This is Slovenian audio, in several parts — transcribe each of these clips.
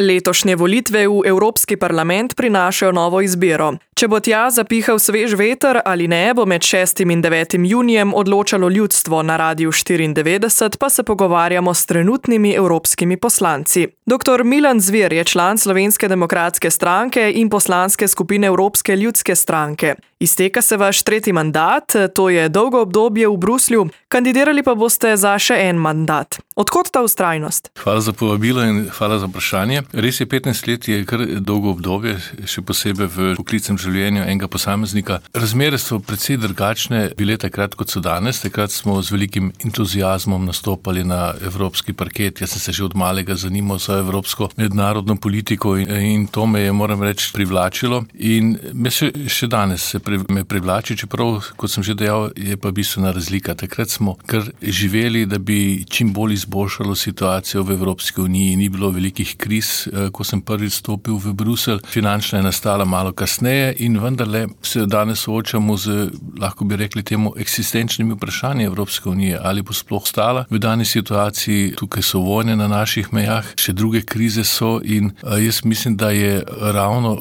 Letošnje volitve v Evropski parlament prinašajo novo izbiro. Če bo tja zapihal svež veter ali ne, bo med 6. in 9. junijem odločalo ljudstvo. Na Radiu 94 pa se pogovarjamo s trenutnimi evropskimi poslanci. Dr. Milan Zver je član Slovenske demokratske stranke in poslanske skupine Evropske ljudske stranke. Izteka se vaš 3. mandat, to je dolgo obdobje v Bruslju, kandidirali pa boste za še en mandat. Odkot ta vztrajnost? Hvala za povabilo in hvala za vprašanje. Res je, 15 let je kar dolgo obdobje, še posebej v poklicnem življenju enega posameznika. Razmere so precej drugačne bile takrat, kot so danes. Takrat smo z velikim entuziazmom nastopali na evropski parket. Jaz sem se že od malega zanimal za evropsko mednarodno politiko in to me je, moram reči, privlačilo. In me še danes me privlači, čeprav, kot sem že dejal, je pa bistvena razlika. Takrat smo kar živeli, da bi čim bolj izboljšalo situacijo v Evropski uniji. Ni bilo velikih kriz, ko sem prvič stopil v Bruselj. Finančna je nastala malo kasneje in vendarle se danes soočamo z, lahko bi rekli temu, eksistenčnimi vprašanji Evropske unije. Ali bo sploh stala v dani situaciji? Tukaj so vojne na naših mejah, še druge krize so in jaz mislim, da je ravno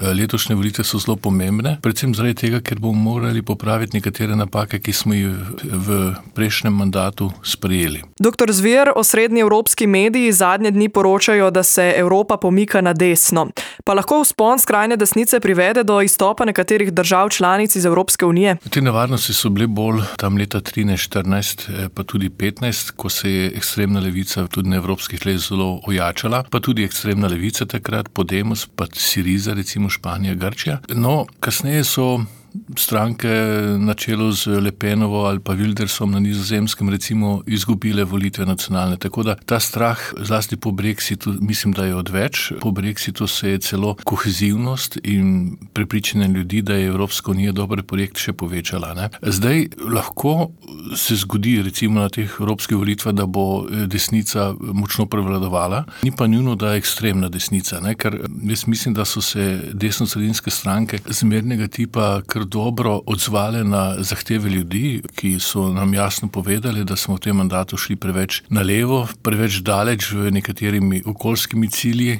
letošnje volitve so zelo pomembne. Predvsem zaradi tega, ker bomo morali popraviti nekatere napake, ki smo jih v prejšnjem mandatu sprejeli. Dr. Zver, osrednji evropski mediji zadnje dni poročajo, da se Evropa pomika na desno. Pa lahko vzpon skrajne desnice privede do izstopa nekaterih držav članic iz Evropske unije? Te nevarnosti so bile bolj tam leta 13-14, pa tudi 15, ko se je ekstremna levica tudi na evropskih tleh zelo ojačala, pa tudi ekstremna levica takrat, Podemos, pa Syriza, recimo Španija, Grčija. No, kasneje so stranke na čelu z Le Penovo ali pa Wildersom na Nizozemskem recimo izgubile volitve nacionalne. Tako da ta strah, zlasti po Brexitu, mislim, da je odveč. Po Brexitu se je celo kohezivnost in prepričanje ljudi, da je Evropska unija dober projekt, še povečala. Ne? Zdaj lahko se zgodi recimo na teh evropskih volitvah, da bo desnica močno prevladovala. Ni pa nujno, da je ekstremna desnica, ne? Ker jaz mislim, da so se desno-sredinske stranke zmernega tipa dobro odzvale na zahteve ljudi, ki so nam jasno povedali, da smo v tem mandatu šli preveč na levo, preveč daleč v nekaterimi okoljskimi cilji,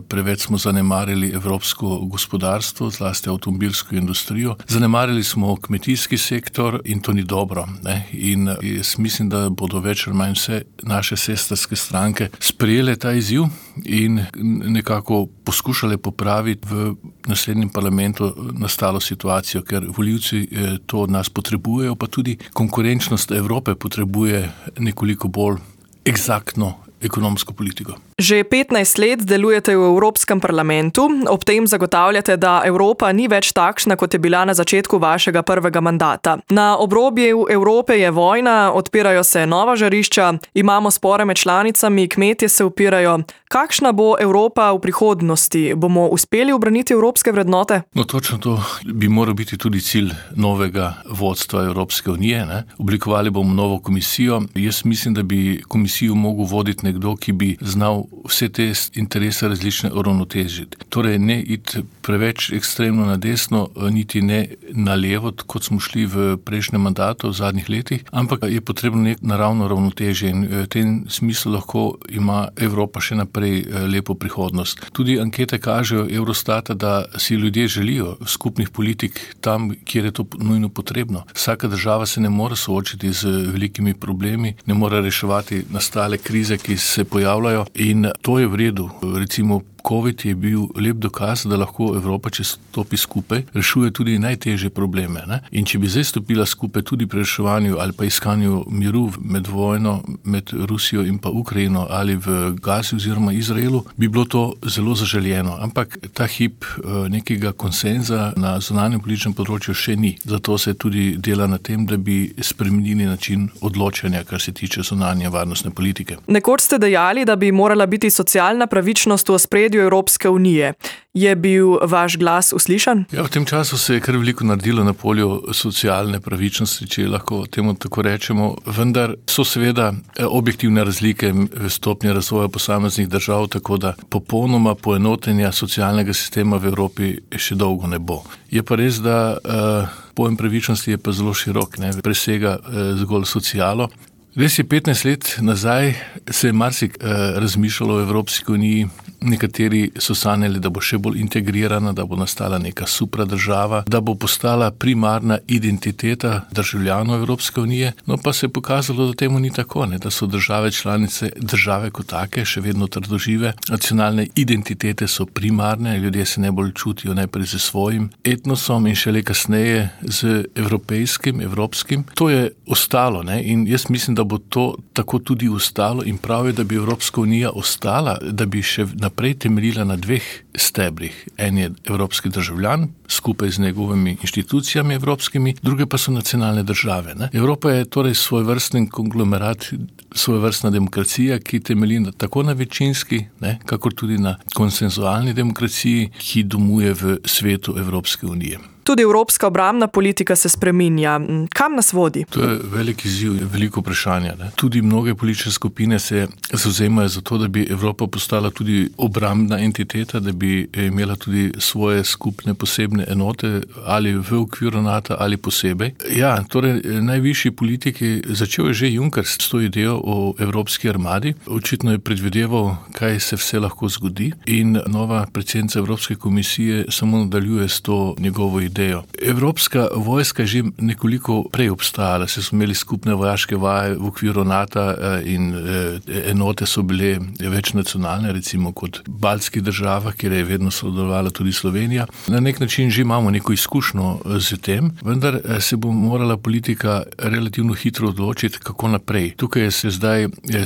preveč smo zanemarili evropsko gospodarstvo, zlasti avtomobilsko industrijo, zanemarili smo kmetijski sektor in to ni dobro. Ne? In jaz mislim, da bodo več ali manj vse naše sestrske stranke sprejele ta izziv in nekako poskušale popraviti v naslednjem parlamentu nastalo situacijo, ker volivci to od nas potrebujejo, pa tudi konkurenčnost Evrope potrebuje nekoliko bolj eksaktno ekonomsko politiko. Že 15 let delujete v Evropskem parlamentu, ob tem zagotavljate, da Evropa ni več takšna, kot je bila na začetku vašega prvega mandata. Na obrobju Evrope je vojna, odpirajo se nova žarišča, imamo spore med članicami, kmetje se upirajo. Kakšna bo Evropa v prihodnosti? Bomo uspeli ubraniti evropske vrednote? No, točno to bi moral biti tudi cilj novega vodstva Evropske unije. Ne? Oblikovali bomo novo komisijo. Jaz mislim, da bi komisijo mogel voditi nekdo, ki bi znal vse te interese različne uravnotežiti. Torej ne iti preveč ekstremno na desno, niti ne na levo, kot smo šli v prejšnjem mandatu v zadnjih letih, ampak je potrebno nek naravno ravnotežje in v tem smislu lahko ima Evropa še naprej lepo prihodnost. Tudi ankete kažejo Eurostata, da si ljudje želijo skupnih politik tam, kjer je to nujno potrebno. Vsaka država se ne more soočiti z velikimi problemi, ne more reševati nastale krize, ki se pojavljajo in to je v redu. Recimo COVID je bil lep dokaz, da lahko Evropa, če stopi skupaj, rešuje tudi najtežje probleme. Ne? In če bi zdaj stopila skupaj tudi pri reševanju ali pa iskanju miru med vojno, med Rusijo in pa Ukrajino ali v Gazi oziroma Izraelu, bi bilo to zelo zaželjeno. Ampak ta hip nekega konsenza na zunanjem političnem področju še ni. Zato se tudi dela na tem, da bi spremenili način odločanja, kar se tiče zunanje varnostne politike. Nekoč ste dejali, da bi morala biti socialna pravičnost v ospredju Evropske unije. Je bil vaš glas uslišan? Ja, v tem času se je kar veliko naredilo na polju socialne pravičnosti, če lahko temu tako rečemo, vendar so seveda objektivne razlike v stopnji razvoja posameznih držav, tako da popolnoma poenotenja socialnega sistema v Evropi še dolgo ne bo. Je pa res, da pojem pravičnosti je pa zelo širok, ne, presega zgolj socialo. Res je, 15 let nazaj se je razmišljalo o Evropski uniji Nekateri so sanjali, da bo še bolj integrirana, da bo nastala neka supradržava, da bo postala primarna identiteta državljanov Evropske unije, no pa se je pokazalo, da temu ni tako, da so države članice, države kot take, še vedno trdožive, nacionalne identitete so primarne, ljudje se najbolj čutijo najprej z svojim etnosom in šele kasneje z evropskim. To je ostalo, in jaz mislim, da bo to tako tudi ostalo in prav je, da bi Evropska unija ostala, da bi še naprej temeljila na dveh stebrih. En je evropski državljan, skupaj z njegovimi inštitucijami evropskimi, druge pa so nacionalne države. Evropa je torej svojvrsten konglomerat, svojvrstna demokracija, ki temelji tako na večinski, kakor tudi na konsenzualni demokraciji, ki domuje v svetu Evropske unije. Tudi evropska obrambna politika se spreminja. Kam nas vodi? To je velik izziv, veliko vprašanje. Tudi mnoge politične skupine se zavzemajo za to, da bi Evropa postala tudi obrambna entiteta, da bi imela tudi svoje skupne posebne enote ali v okviru NATO ali posebej. Ja, torej najvišji politiki, začel je že Juncker s to idejo o evropski armadi, očitno je predvideval, kaj se vse lahko zgodi in nova predsednica Evropske komisije samo nadaljuje s to njegovo idejo. Evropska vojska že nekoliko prej obstajala, se so imeli skupne vojaške vaje v okviru NATO in enote so bile večnacionalne, recimo kot v baltskih državah, kjer je vedno sodelovala tudi Slovenija. Na nek način že imamo neko izkušnjo z tem, vendar se bo morala politika relativno hitro odločiti, kako naprej. Tukaj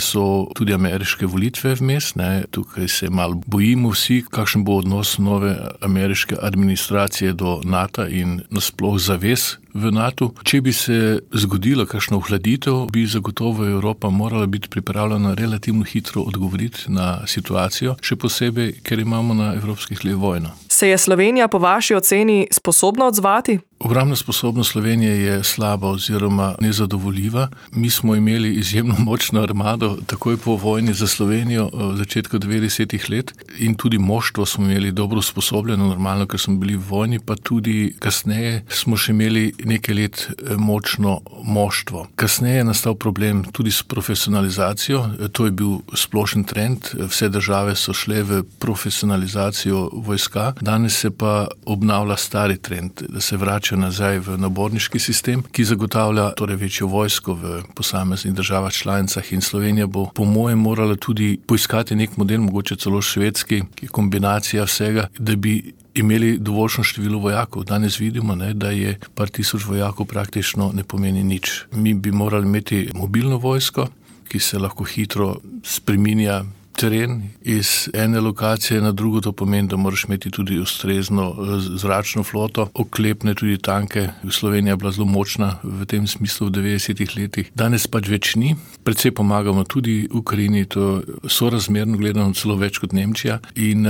so tudi ameriške volitve vmes, tukaj se malo bojimo vsi, kakšen bo odnos nove ameriške administracije do NATO in nasploh zavez v NATO. Če bi se zgodila kakšna ohladitev, bi zagotovo Evropa morala biti pripravljena relativno hitro odgovoriti na situacijo, še posebej, ker imamo na evropskih tleh vojno. Se je Slovenija po vaši oceni sposobna odzvati? Obrambna sposobnost Slovenije je slaba oziroma nezadovoljiva. Mi smo imeli izjemno močno armado takoj po vojni za Slovenijo v začetku 90-ih let in tudi moštvo smo imeli dobro usposobljeno, normalno, ker smo bili v vojni, pa tudi kasneje smo še imeli nekaj let močno moštvo. Kasneje je nastal problem tudi s profesionalizacijo, to je bil splošen trend, vse države so šle v profesionalizacijo vojska, danes se pa obnavlja stari trend, da se vrača nazaj v naborniški sistem, ki zagotavlja torej večjo vojsko v posameznih državah članicah in Slovenija bo po mojem morala tudi poiskati nek model, mogoče celo švedski, ki je kombinacija vsega, da bi imeli dovoljšno število vojakov. Danes vidimo, da je par tisoč vojakov praktično ne pomeni nič. Mi bi morali imeti mobilno vojsko, ki se lahko hitro spreminja teren iz ene lokacije na drugo, to pomeni, da moraš imeti tudi ustrezno zračno floto, oklepne tudi tanke. Slovenija je bila zelo močna v tem smislu v 90-ih letih. Danes pač več ni. Predvsej pomagamo tudi Ukrajini, to sorazmerno gledano celo več kot Nemčija in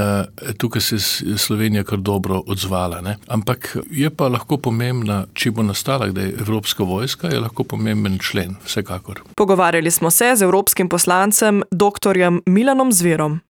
tukaj se Slovenija kar dobro odzvala. Ampak je pa lahko pomembna, če bo nastala, da je Evropska vojska, je lahko pomemben člen, vsekakor. Pogovarjali smo se z evropskim poslancem dr. Milanom Zverom.